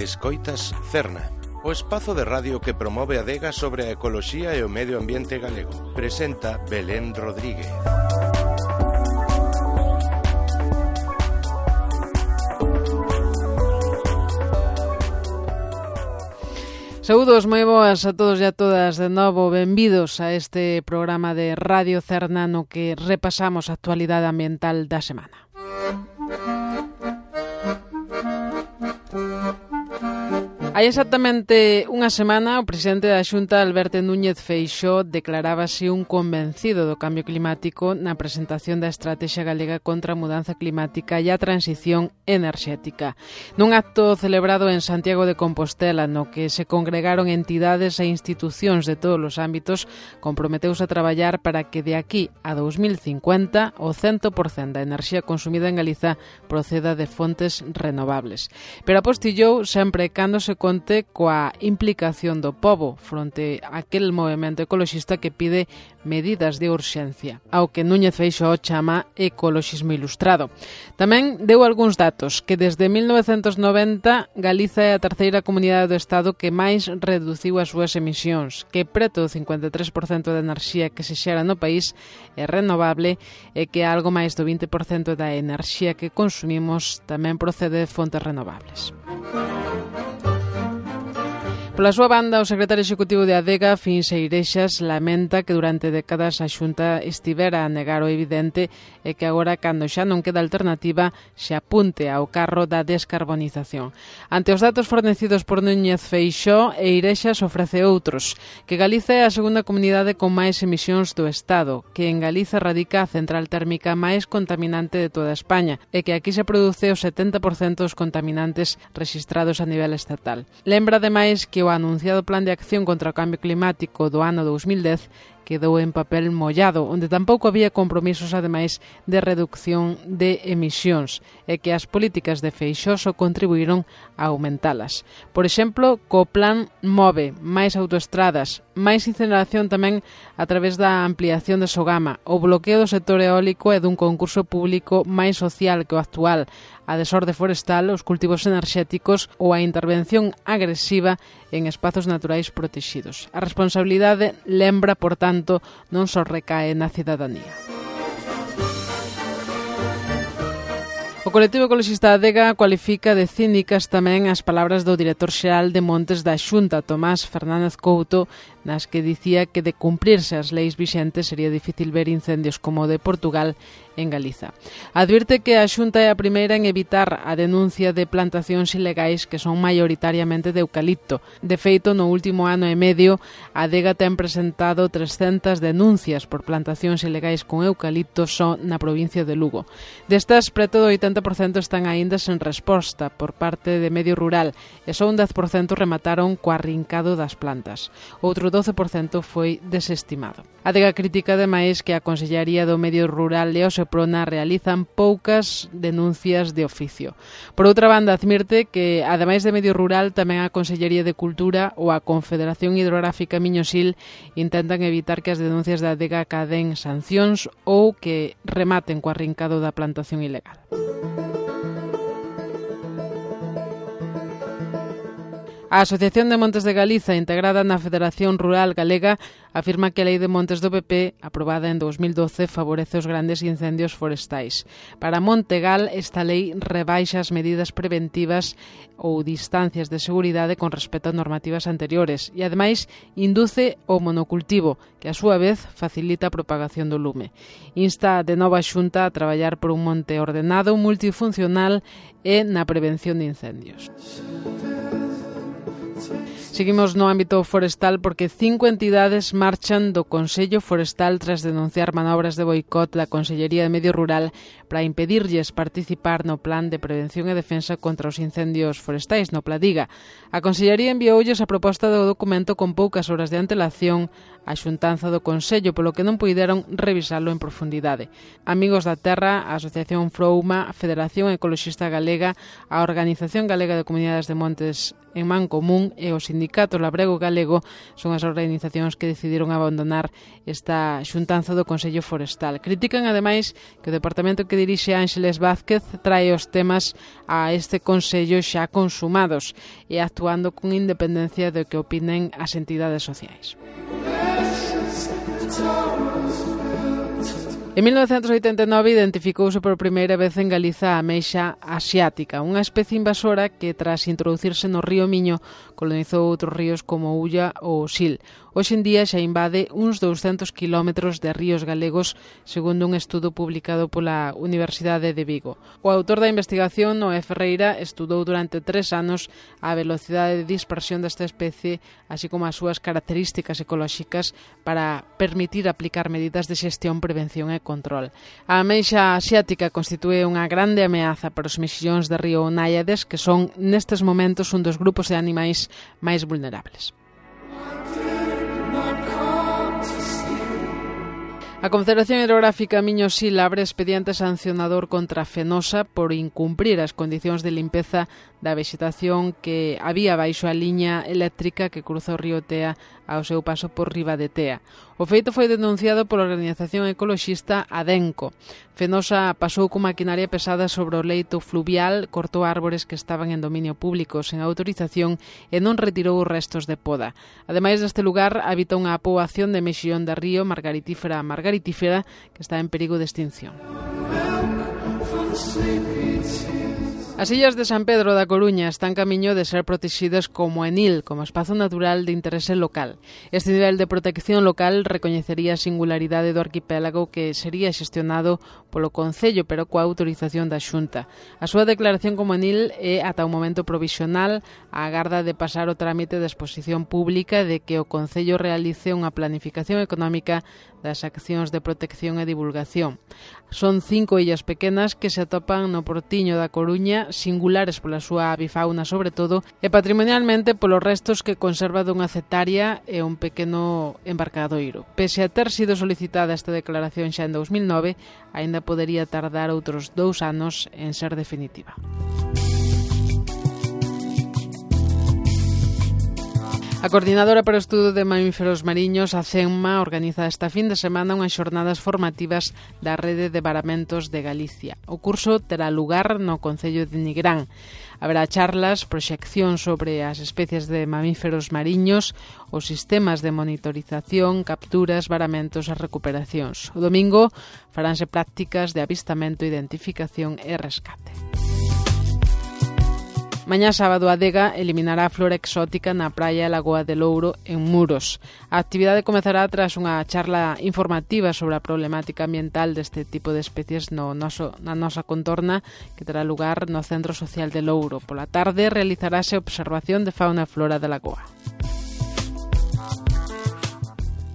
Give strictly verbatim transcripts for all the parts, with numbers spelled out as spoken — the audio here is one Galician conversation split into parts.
Escoitas Cerna, o espazo de radio que promove a adega sobre a ecoloxía e o medio ambiente galego. Presenta Belén Rodríguez. Saúdos moi boas a todos e a todas de novo, benvidos a este programa de Radio Cerna no que repasamos a actualidade ambiental da semana. Hai exactamente unha semana, o presidente da Xunta, Alberto Núñez Feixóo, declarábase un convencido do cambio climático na presentación da Estrategia Galega contra a Mudanza Climática e a Transición Enerxética. Nun acto celebrado en Santiago de Compostela, no que se congregaron entidades e institucións de todos os ámbitos, comprometeuse a traballar para que de aquí a dos mil cincuenta o cento por cento da enerxía consumida en Galiza proceda de fontes renovables. Pero apostillou sempre cando se conte coa implicación do pobo fronte a aquel movemento ecoloxista que pide medidas de urxencia, ao que Núñez Feixóo chama ecoloxismo ilustrado. Tamén deu algúns datos, que desde mil novecentos noventa Galiza é a terceira comunidade do Estado que máis reduciu as súas emisións, que preto do cincuenta e tres por cento da enerxía que se xera no país é renovable e que algo máis do vinte por cento da enerxía que consumimos tamén procede de fontes renovables. Pola súa banda, o secretario executivo de Adega, Fin Seirexas, lamenta que durante décadas a Xunta estivera a negar o evidente e que agora, cando xa non queda alternativa, se apunte ao carro da descarbonización. Ante os datos fornecidos por Núñez Feixóo, Eirexas ofrece outros, que Galiza é a segunda comunidade con máis emisións do Estado, que en Galiza radica a central térmica máis contaminante de toda España e que aquí se produce o setenta por cento dos contaminantes rexistrados a nivel estatal. Lembra, ademais, que o anunciado Plan de Acción contra o Cambio Climático do ano dos mil dez quedou en papel mollado, onde tampouco había compromisos, ademais, de reducción de emisións, e que as políticas de Feixóo só contribuíron a aumentalas. Por exemplo, co Plan MOVE, máis autoestradas, máis incineración tamén a través da ampliación de Sogama, o bloqueo do sector eólico e dun concurso público máis social que o actual, a desorde forestal, os cultivos enerxéticos ou a intervención agresiva en espazos naturais protegidos. A responsabilidade lembra, por tanto, non só recae na cidadanía. O colectivo ecoloxista Adega cualifica de cínicas tamén as palabras do director xeral de Montes da Xunta, Tomás Fernández Couto, nas que dicía que de cumprirse as leis vixentes sería difícil ver incendios como o de Portugal en Galiza. Advirte que a Xunta é a primeira en evitar a denuncia de plantacións ilegais que son maioritariamente de eucalipto. De feito, no último ano e medio, a Adega ten presentado trescentas denuncias por plantacións ilegais con eucalipto só na provincia de Lugo. Destas, preto do oitenta por cento están aínda sen resposta por parte de Medio Rural e só un dez por cento remataron co arrincado das plantas. Outro doce por cento foi desestimado. A Adega critica, ademais, que a Consellería do Medio Rural e o Seprona realizan poucas denuncias de oficio. Por outra banda, admirte que, ademais de Medio Rural, tamén a Consellería de Cultura ou a Confederación Hidrográfica Miñosil intentan evitar que as denuncias da Adega caden sancións ou que rematen co arrincado da plantación ilegal. A Asociación de Montes de Galiza, integrada na Federación Rural Galega, afirma que a Lei de Montes do P P, aprobada en dos mil doce, favorece os grandes incendios forestais. Para Montegal, esta lei rebaixa as medidas preventivas ou distancias de seguridade con respecto a normativas anteriores e, ademais, induce o monocultivo, que a súa vez facilita a propagación do lume. Insta de nova Xunta a traballar por un monte ordenado, multifuncional e na prevención de incendios. Seguimos no ámbito forestal porque cinco entidades marchan do Consello Forestal tras denunciar manobras de boicot da Consellería de Medio Rural para impedirlles participar no Plan de Prevención e Defensa contra os Incendios Forestais, no Pladiga. A Consellería envioulles a proposta do documento con poucas horas de antelación a xuntanza do Consello, polo que non puideron revisalo en profundidade. Amigos da Terra, a Asociación Frouma, a Federación Ecoloxista Galega, a Organización Galega de Comunidades de Montes en Mancomún e o Sindicato Labrego Galego son as organizacións que decidiron abandonar esta xuntanza do Consello Forestal. Critican, ademais, que o departamento que dirixe Ángeles Vázquez trae os temas a este Consello xa consumados e actuando con independencia do que opinen as entidades sociais. En mil novecentos oitenta e nove identificouse por primeira vez en Galiza a ameixa asiática, unha especie invasora que, tras introducirse no río Miño, colonizou outros ríos como o Ulla ou o Sil. Hoxe en día xa invade uns douscentos kilómetros de ríos galegos, segundo un estudo publicado pola Universidade de Vigo. O autor da investigación, Noé Ferreira, estudou durante tres anos a velocidade de dispersión desta especie, así como as súas características ecolóxicas, para permitir aplicar medidas de xestión, prevención e control. A ameixa asiática constitúe unha grande ameaza para os mexillóns de río náiades, que son nestes momentos un dos grupos de animais máis vulnerables. A Confederación Hidrográfica Miño-Sil abre expediente sancionador contra Fenosa por incumprir as condicións de limpeza da vexetación que había baixo a liña eléctrica que cruza o río Tea ao seu paso por riba de Tea. O feito foi denunciado pola organización ecoloxista Adenco. Fenosa pasou con maquinaria pesada sobre o leito fluvial, cortou árbores que estaban en dominio público sen autorización e non retirou os restos de poda. Ademais deste lugar, habita unha poboación de mexillón de río margaritífera margaritífera que está en perigo de extinción. As illas de San Pedro da Coruña están camiño de ser protegidas como ENIL, como espazo natural de interese local. Este nivel de protección local recoñecería a singularidade do arquipélago que sería xestionado polo Concello, pero coa autorización da Xunta. A súa declaración como ENIL é ata un momento provisional, á agarda de pasar o trámite de exposición pública de que o Concello realice unha planificación económica das accións de protección e divulgación. Son cinco illas pequenas que se atopan no Portiño da Coruña, singulares pola súa avifauna sobre todo, e patrimonialmente polos restos que conserva dunha cetaria e un pequeno embarcadoiro. Pese a ter sido solicitada esta declaración xa en dous mil nove, aínda podería tardar outros dous anos en ser definitiva. A Coordinadora para o Estudo de Mamíferos Mariños, a CENMA, organiza esta fin de semana unhas xornadas formativas da Rede de Varamentos de Galicia. O curso terá lugar no Concello de Nigrán. Haberá charlas, proxección sobre as especies de mamíferos mariños, os sistemas de monitorización, capturas, varamentos e recuperacións. O domingo faránse prácticas de avistamento, identificación e rescate. Mañá sábado a Adega eliminará a flora exótica na praia Lagoa de Louro en Muros. A actividade comezará tras unha charla informativa sobre a problemática ambiental deste tipo de especies no noso, na nosa contorna que terá lugar no Centro Social de Louro. Pola tarde realizarase observación de fauna e flora da lagoa.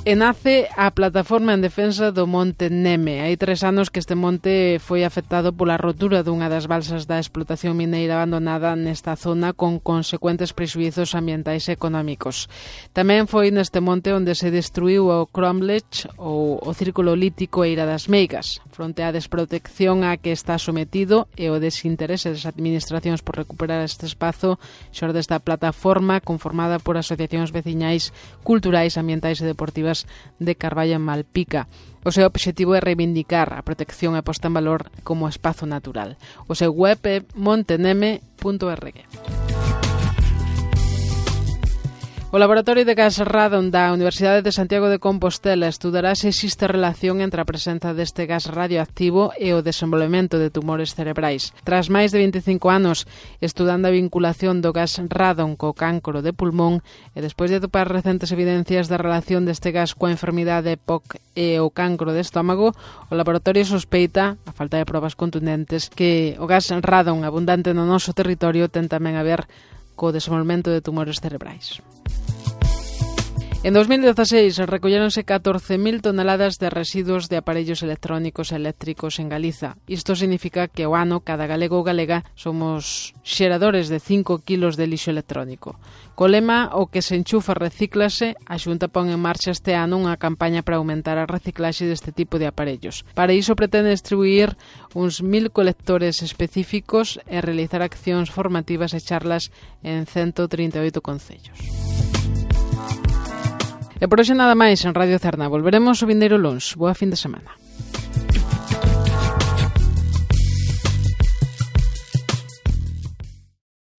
E nace a plataforma en defensa do Monte Neme. Hai tres anos que este monte foi afectado pola rotura dunha das balsas da explotación mineira abandonada nesta zona con consecuentes prexuizos ambientais e económicos. Tamén foi neste monte onde se destruiu o Cromlech ou o Círculo Lítico Eira das Meigas. Fronte á desprotección a que está sometido e o desinterese das administracións por recuperar este espazo, xorde esta plataforma conformada por asociacións veciñais, culturais, ambientais e deportivas de Carballo en Malpica. O seu obxectivo é reivindicar a protección e posta en valor como espazo natural. O seu web é monteneme punto org. O Laboratorio de Gas Radon da Universidade de Santiago de Compostela estudará se existe relación entre a presenza deste gas radioactivo e o desenvolvemento de tumores cerebrais. Tras máis de veinticinco anos estudando a vinculación do gas radon co cancro de pulmón e despois de atopar recentes evidencias da relación deste gas coa enfermidade P O C e o cancro de estómago, o laboratorio sospeita, a falta de probas contundentes, que o gas radon abundante no noso territorio ten tamén a ver co desenvolvemento de tumores cerebrais. En dos mil dieciséis recolléronse catorce mil toneladas de residuos de aparellos electrónicos e eléctricos en Galiza. Isto significa que ao ano cada galego ou galega somos xeradores de cinco kilos de lixo electrónico. Co lema "O que se enchufa recíclase", a Xunta pon en marcha este ano unha campaña para aumentar a reciclaxe deste tipo de aparellos. Para iso pretende distribuir uns mil colectores específicos e realizar accións formativas e charlas en ciento trinta e oito concellos. E por hoxe nada máis en Radio Cerna. Volveremos o vindeiro luns. Boa fin de semana.